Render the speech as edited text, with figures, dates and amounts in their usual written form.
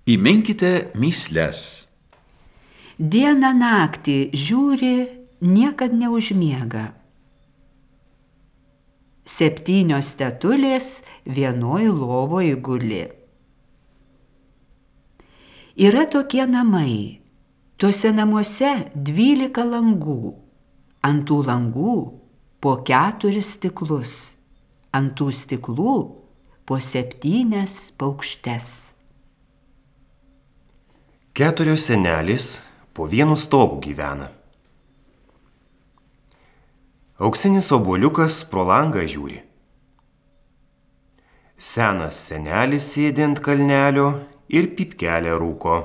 Įminkite mįsles. Dieną naktį žiūri, niekad neužmiega. 7 tetulės vienoj lovoj guli. Yra tokie namai, tuose namuose 12 langų, ant tų langų po 4 stiklus, ant tų stiklų po 7 paukštes. 4 senelės po vienu stogu gyvena. Auksinis obuoliukas pro langą žiūri. Senas senelis sėdi ant kalnelio ir pypkelę rūko.